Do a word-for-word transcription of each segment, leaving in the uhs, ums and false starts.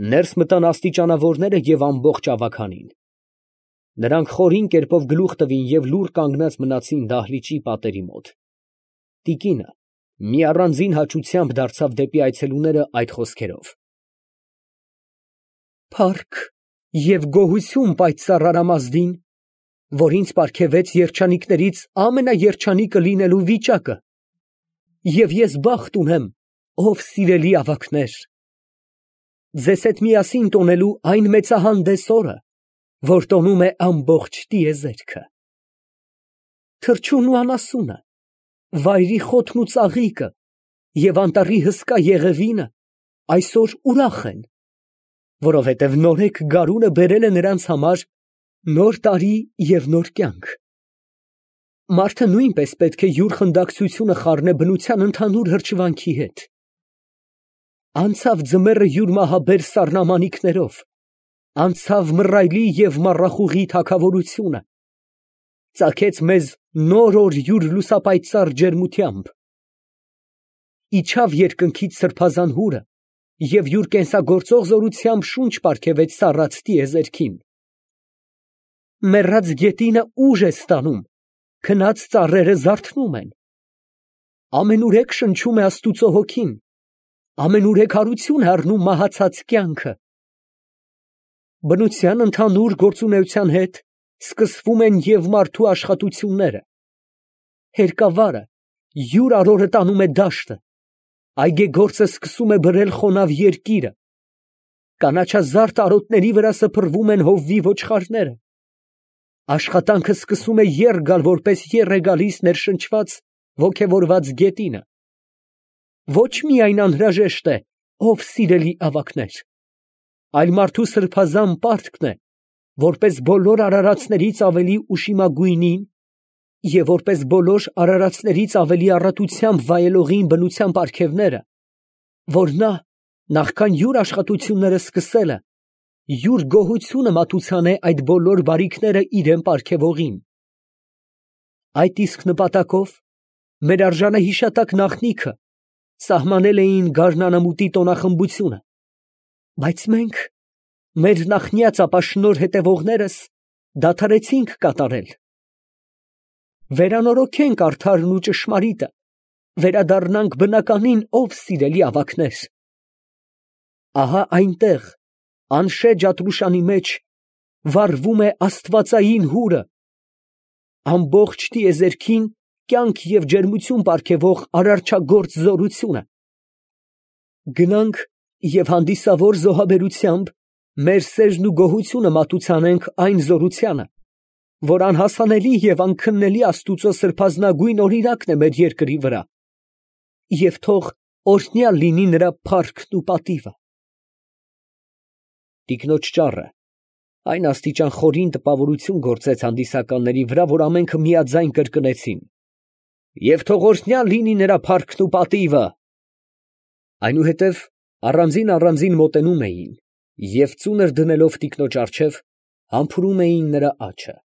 Ներս մտան աստիճանավորները և ամբողջ ավագանին. նրանք խորին կերպով գլուխ տվին և լուռ կանգնած մնացին դահլիճի պատերի մոտ։ Տիկինը մի առանձին հաճությամբ դարձավ դեպի այցելուները այդ խոսքերով. «Փառք և գոհություն պայծառ Արամազդին, որ ինձ պարգևեց երջանիկներից ամենաերջանիկը լինելու վիճակը, և ես բախտ ունեմ, ով սիրելի ավագներ, ձեզ հետ միասին տոնելու այն մեծահանդես օրը, որ տոնում է ամբողջ տիեզերքը։ Թրջունն ու անասունը, վայրի խոտն ու ծաղիկը և անտառի հսկա եղևինը այսօր ուրախ են, որովհետև նորեկ գարունը բերել է նրանց համար նոր տարի և նոր կյանք։ Մարդը նույնպես պետք է յուր խնդակցությունը խառնե բնության ընդհանուր հրճվանքի հետ։ Անցավ ձմեռը յուր մահաբեր սառնամանիքներով, անցավ մռայլի և մառախուղի թագավորությունը, ծագեց մեզ նոր օր յուր լուսապայծառ ջերմությամբ, իջավ երկնքից սրբազան հուրը և յուր կենսագործող զորությամբ շունչ պարգևեց սառած տիեզերքին։ Մեռած գետինը ուժ է ստանում, քնած ծառերը զարթնում են, ամենուրեք շնչում է Աստուծո հոգին, ամենուրեք հարություն է առնում մահացած կյանքը։ Բնության ընդհանուր գործունեության հետ սկսվում են և մարդու աշխատությունները, հերկավարը յուր արորը տանում է դաշտը, այգեգործը սկսում է բրել խոնավ երկիրը, կանաչազարդ արոտների վրա սփռվում են հովվի ոչխարները, աշխատանքը սկսում է եռ գալ, որպես եռ է գալիս ներշնչված, ոգևորված գետինը։ Ոչ միայն անհրաժեշտ է, ով սիրելի ավագներ, այլ մարդու սրբազան պարտքն է, որպես բոլոր արարածներից ավելի ուշիմագույնին և որպես բոլոր արարածներից ավելի առատությամբ վայելողին բնության պարգևները, որ նա, նախքան յուր աշխատությունները սկսելը, յուր գոհությունը մատուցանե այդ բոլոր բարիքները իրան պարգևողին։ Այդ իսկ նպատակով մեր արժանը հիշատակ նախնիքը սահմանել էին գարնանամուտի տոնախմբությունը, բայց մենք, մեր նախնյաց ապաշնորհ հետևողներս, դադարեցինք կատարել։ Վերանորոգենք արդարն ու ճշմարիտը, վերադառնանք բնականին, ով սիրելի ավագներ։ Ահա այնտեղ, անշեջ Ատռուշանի մեջ, վառվում է աստվածային հուրը, ամբողջ տիեզերքին կյանք և ջերմություն պարգևող արարչագործ զորությունը։ Գնանք և հանդիսավոր զոհաբերությամբ մեր սերն ու գոհությունը մատուցանենք այն զորությանը, որ անհասանելի և անքննելի Աստուծո սրբազնագույն օրինակն է մեր երկրի վրա, և թող օրհնյալ լինի նրա փառքն ու պատիվը։ Տիկնոջ ճառը այն աստիճան խորին տպավորություն գործեց հանդիսականների վրա, որ ամենքը միաձայն կրկնեցին. «Եվ թող օրհնյալ լինի նրա փառքն ու պատիվը»։ Այնուհետև առանձին֊առանձին մոտենում էին և ծունր դնելով տիկնոջ առջև, համբուրում էին նրա աջը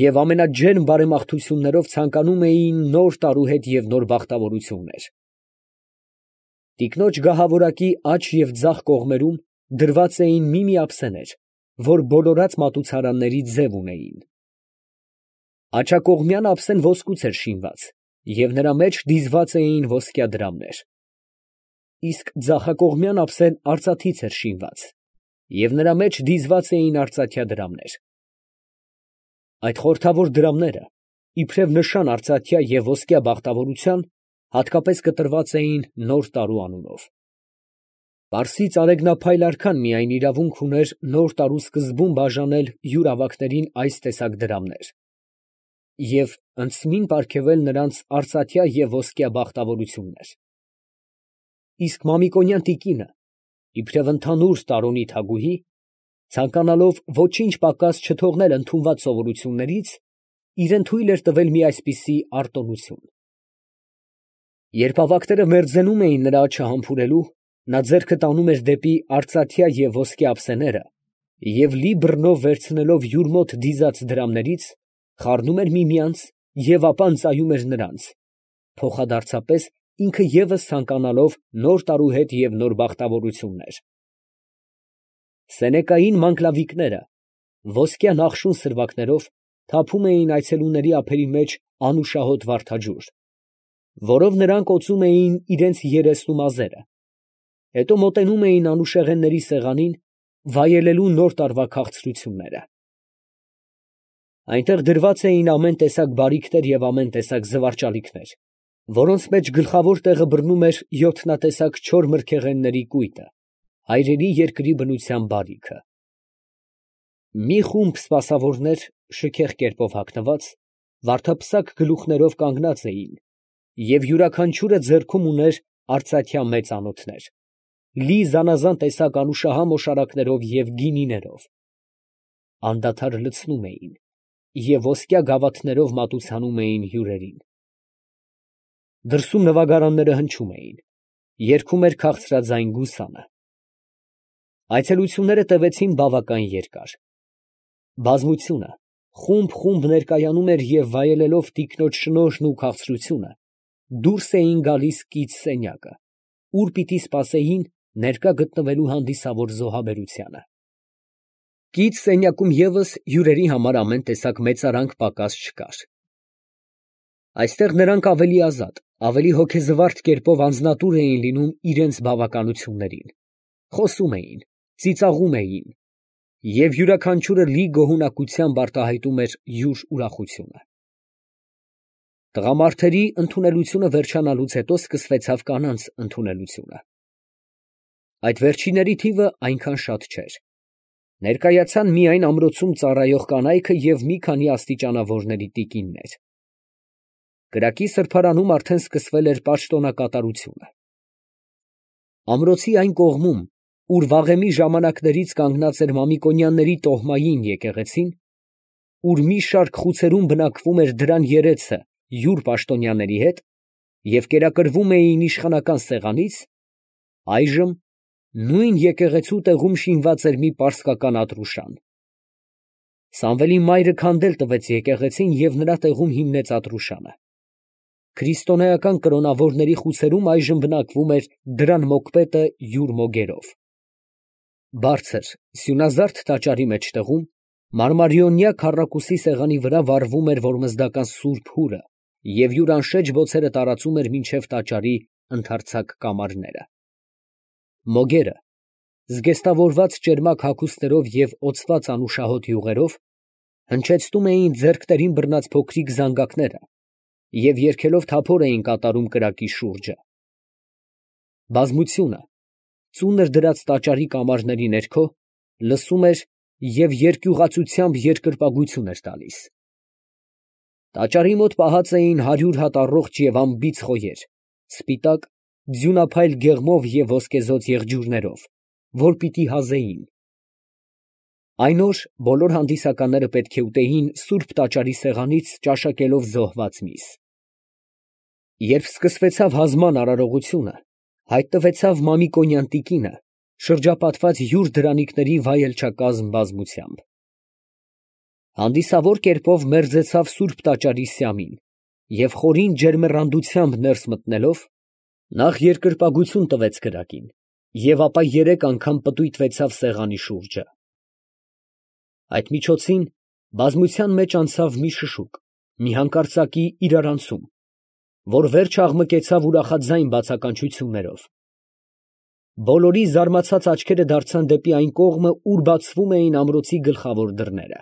և ամենաջերմ բարեմաղթություններով ցանկանում էին նոր տարու հետ և նոր բախտավորություններ։ Տիկնոջ գահավորակի աջ և ձախ կողմերում դրված էին մի֊մի ափսեներ, որ բոլորած մատուցարանների ձև ունեին։ Աջակողմյան ափսեն ոսկուց էր շինված և նրա մեջ դիզված էին ոսկյա դրամներ, իսկ ձախակողմյան ափսեն արծաթից էր շինված և նրա մեջ դիզված էին արծաթյա դրամներ։ Այդ խորհրդավոր դրամները, իբրև նշան արծաթյա և ոսկյա բախտավորության, հատկապես կտրված էին նոր տարու անունով։ Պարսից արեգնափայլ արքան միայն իրավունք ուներ նոր տարու սկզբում բաժանել յուր ավագներին այս տեսակ դրամներ և ընդսմին պարգևել նրանց արծաթյա և ոսկյա բախտավորություններ։ Իսկ Մամիկոնյան տիկինը, իբրև ընդհանուր տարոնի թագուհի, ցանկանալով ոչինչ պակաս չթողնել ընդունված սովորություններից, իրան թույլ էր տվել մի այսպիսի արտոնություն։ Երբ ավագները մերձենում էին նրա աջը համբուրելու, նա ձեռքը տանում էր դեպի արծաթյա և ոսկյա ափսեները և լի բռնով վերցնելով յուր մոտ դիզած դրամներից, խառնում էր միմյանց և ապա ընծայում էր նրանց, փոխադարձապես ինքը ևս ցանկանալով նոր տարու հետ և նոր բախտավորություններ։ Սենեկային մանկլավիկները ոսկյա նախշուն սրվակներով թափում էին այցելուների ափերի մեջ անուշահոտ վարդաջուր, որով նրանք օծում էին իրենց երեսն ու մազերը, հետո մոտենում էին անուշեղենների սեղանին, վայելելու նոր տարվա քաղցրությունները։ Այնտեղ դրված էին ամեն տեսակ բարիքներ և ամեն տեսակ զվարճալիքներ, որոնց մեջ գլխավոր տեղը բռնում էր յոթնատեսակ չոր մրգեղենների կույտը, հայրերի երկրի բնության բարիքը։ Մի խումբ սպասավորներ, շքեղ կերպով հագնված, վարդապսակ գլուխներով կանգնած էին, և յուրաքանչյուրը ձեռքում ուներ արծաթյա մեծ անոթներ, լի զանազան տեսակ անուշահամ օշարակներով և գինիներով, անդադար լցնում էին և ոսկյա գավաթներով մատուցանում էին հյուրերին։ Դրսում նվագարանները հնչում էին, երգում էր քաղցրաձայն գուսանը։ Այցելությունները տևեցին բավական երկար։ Բազմությունը խումբ֊խումբ ներկայանում էր և վայելելով տիկնոջ շնորհն ու քաղցրությունը, դուրս էին գալիս կից սենյակը, ուր պիտի սպասեին ներկա գտնվելու հանդիսավոր զոհաբերությանը։ Կից սենյակում ևս հյուրերի համար ամեն տեսակ մեծարանք պակաս չկար։ Այստեղ նրանք ավելի ազատ, ավելի հոգեզվարդ կերպով անձնատուր էին լինում իրենց բավականություններին, խոսում էին, ծիծաղում էին, և յուրաքանչյուրը լի գոհունակությամբ արտահայտում էր յուր ուրախությունը։ Տղամարդերի ընդունելությունը վերջանալուց հետո սկսվեցավ կանանց ընդունելությունը։ Այդ վերջինների թիվը այնքան շատ չէր. ներկայացան միայն ամրոցում ծառայող կանայքը և մի քանի աստիճանավորների տիկիններ։ Կրակի սրբարանում արդեն սկսվել էր պաշտոնակատարությունը։ Ամրոցի այն կողմում, ուր վաղեմի ժամանակներից կանգնած էր Մամիկոնյանների տոհմային եկեղեցին, ուր մի շարք խուցերում բնակվում էր դրան երեցը յուր պաշտոնյաների հետ և կերակրվում էին իշխանական սեղանից, այժմ նույն եկեղեցու տեղում շինված էր մի պարսկական ատրուշան։ Սամվելի մայրը քանդել տվեց եկեղեցին և նրա տեղում հիմնեց ատրուշանը։ Քրիստոնեական կրոնավորների խուցերում այժմ բնակվում էր դրան մոկպետը յուր մոգերով։ Բարձր, սյունազարդ տաճարի մեջտեղում մարմարիոնյա քառակուսի սեղանի վրա վառվում էր որմզդական սուրբ հուրը և յուր անշեջ բոցերը տարածում էր մինչև տաճարի ընդարձակ կամարները։ Մոգերը, զգեստավորված ճերմակ հագուստներով և օծված անուշահոտ յուղերով, հնչեցնում էին ձեռքներին բռնած փոքրիկ զանգակները և երգելով թափոր էին կատարում կրակի շուրջը։ Բազմությունը, ծունր դրած տաճարի կամարների ներքո, լսում էր և երկյուղացությամբ երկրպագություն էր տալիս։ Տաճարի մոտ պահած էին հարյուր հատ առողջ և անբիծ խոյեր, սպիտակ, ձյունափայլ գեղմով և ոսկեզօծ եղջյուրներով, որ պիտի հազեին։ Այն օր բոլոր հանդիսականները պետք է ուտեին սուրբ տաճարի սեղանից ճաշակելով զոհված միս։ Երբ սկսվեցավ հազման արարողությունը, հայտնվեցավ Մամիկոնյան տիկինը, շրջապատված յուր դրանիկների վայելչակազմ բազմությամբ։ Հանդիսավոր կերպով մերձեցավ սուրբ տաճարի սյամին և խորին ջերմեռանդությամբ ներս մտնելով, նախ երկրպագություն տվեց կրակին և ապա երեք անգամ պտույտվեցավ սեղանի շուրջը։ Այդ միջոցին բազմության մեջ անցավ մի շշուկ, մի հանկարծակի իրարանցում, որ վերջ աղմկեցավ ուրախաձայն բացականչություններով։ Բոլորի զարմացած աչքերը դարձան դեպի այն կողմը, ուր բացվում էին ամրոցի գլխավոր դռները։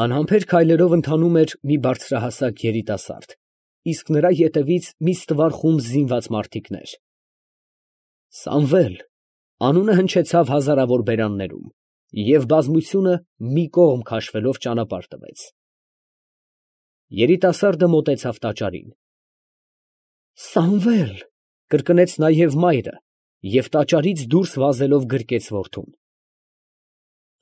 Անհամբեր քայլերով ընթանում էր մի բարձրահասակ երիտասարդ, իսկ նրա ետևից մի ստվար խումբ զինված մարդիկներ։ «Սամվել» անունը հնչեցավ հազարավոր բերաններում, և բազմությունը մի կողմ քաշվելով ճանապարհ տվեց։ Երիտասարդը մոտեցավ տաճարին։ «Սամվել» կրկնեց նաև մայրը և տաճարից դուրս վազելով գրկեց որդուն։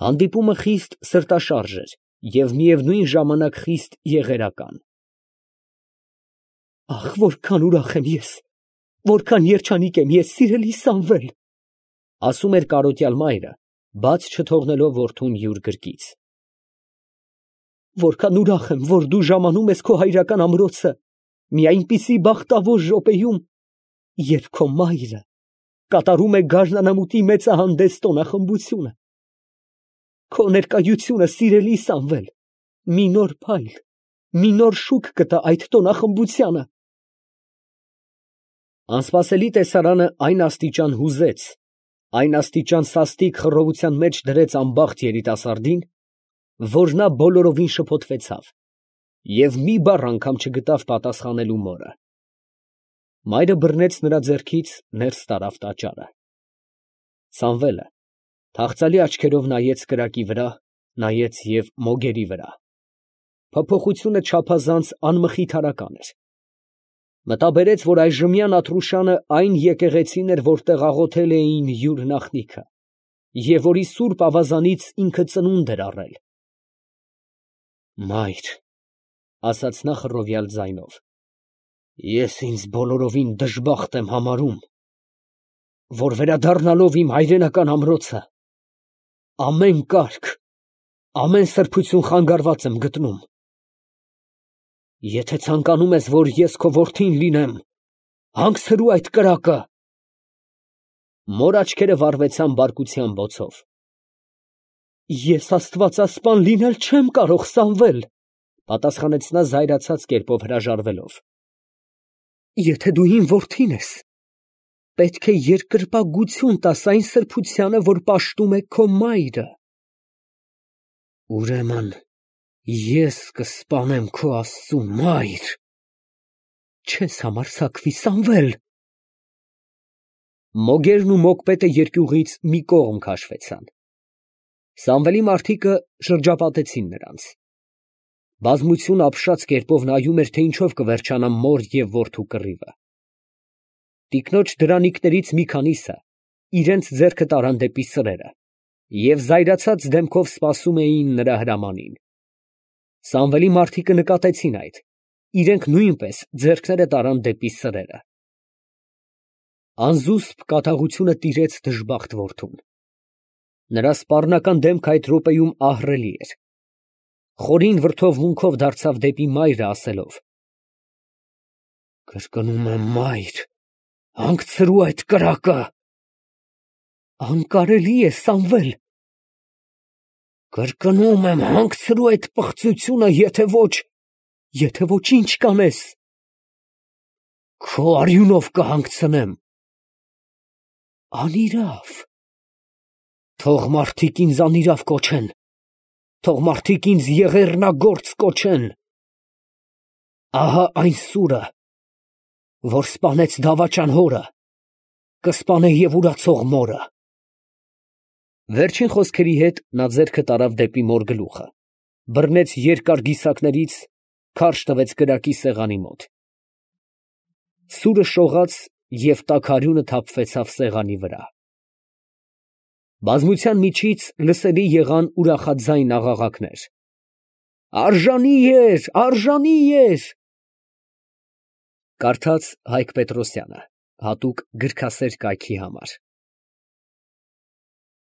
Հանդիպումը խիստ սրտաշարժ էր և միևնույն ժամանակ խիստ եղերական։ «Ախ, որքան ուրախ եմ ես, որքան երջանիկ եմ ես, սիրելի Սամվել», ֊ ասում էր կարոտյալ մայրը, բաց չթողնելով որդուն յուր գրկից։ «Որքան ուրախ եմ, որ դու ժամանում ես քո հայրական ամրոցը մի այնպիսի բախտավոր րոպեում, երբ քո մայրը կատարում է գարնանամուտի մեծահանդես տոնախմբությունը։ Քո ներկայությունը, սիրելի Սամվել, մի նոր փայլ, մի նոր շուք կտա այդ տոնախմբությանը։ Անսպասելի տեսարանը այն աստիճան հուզեց, այն աստիճան սաստիկ խռովության մեջ դրեց անբախտ երիտասարդին, որ նա բոլորովին շփոթվեցավ և մի բառ անգամ չգտավ պատասխանելու մորը։ Մայրը բռնեց նրա ձեռքից, ներս տարավ տաճարը։ Սամվելը թախծալի աչքերով նայեց կրակի վրա, նայեց և մոգերի վրա։ Փոփոխությունը չափազանց անմխիթարական էր։ Մտաբերեց, որ այժմյան Աթրուշանը այն եկեղեցին էր, որտեղ աղոթել էին յուր նախնիքը, և որի սուրբ ավազանից ինքը ծնունդ էր առել։ «Մայր, ֊ ասաց նա խռովյալ ձայնով, ֊ ես ինձ բոլորովին դժբախտ եմ համարում, որ վերադառնալով իմ հայրենական ամրոցը, ամեն կարգ, ամեն սրբություն խանգարված եմ գտնում։ Եթե ցանկանում ես, որ ես քո որդին լինեմ, հանգցրու այդ կրակը»։ Մոր աչքերը վառվեցան բարկության բոցով։ «Ես աստվածասպան լինել չեմ կարող, Սամվել, ֊ պատասխանեց նա զայրացած կերպով հրաժարվելով։ Եթե դու իմ որդին ես, պետք է երկրպագություն տաս այն սրբությանը, որ պաշտում է քո մայրը։ Ուրեմն ես կսպանեմ քո Աստծուն, մայր, չես համարձակվի, Սամվել։ Մոգերն ու մոգպետը երկյուղից մի կողմ քաշվեցան։ Սամվելի մարդիկը շրջապատեցին նրանց։ Բազմություն ապշած կերպով նայում էր, թե ինչով կվերջանա մոր և որդու կռիվը։ Տիկնոջ դրանիկներից մի քանիսը իրենց ձեռքը տարան դեպի սրերը և զայրացած դեմքով սպասում էին նրա հրամանին։ Սամվելի մարդիկը նկատեցին այդ, իրենք նույնպես ձեռքները տարան դեպի սրերը։ Անզուսպ կատաղությունը տիրեց դժբախտ որդուն։ Նրա սպառնական դեմքը այդ րոպեում ահռելի էր։ Խորին վրդովմունքով դարձավ դեպի մայրը, ասելով. «Կրկնում եմ, մայր, հանգցրու այդ կրակը»։ Անկարելի է, Սամվել։ Կրկնում եմ, հանգցրու այդ պղծությունը, եթե ոչ, եթե ոչ, ի՞նչ կանես։ Քո արյունով կհանգցնեմ։ Անիրավ։ Թող մարդիկ ինձ անիրավ կոչեն, թող մարդիկ ինձ եղեռնագործ կոչեն։ Ահա այն սուրը, որ սպանեց դավաճան հորը, կսպանե և ուրացող մորը։ Վերջին խոսքերի հետ նա ձեռքը տարավ դեպի մոր գլուխը, բռնեց երկար գիսակներից, քարշ տվեց կրակի սեղանի մոտ։ Սուրը շողաց և տաք արյունը թափվեցավ սեղանի վրա։ Բազմության միջից լսելի եղան ուրախաձայն աղաղակներ. «Արժանի էր, արժանի էր»։ Կարդաց Հայկ Պետրոսյանը, հատուկ գրքասեր կայքի համար։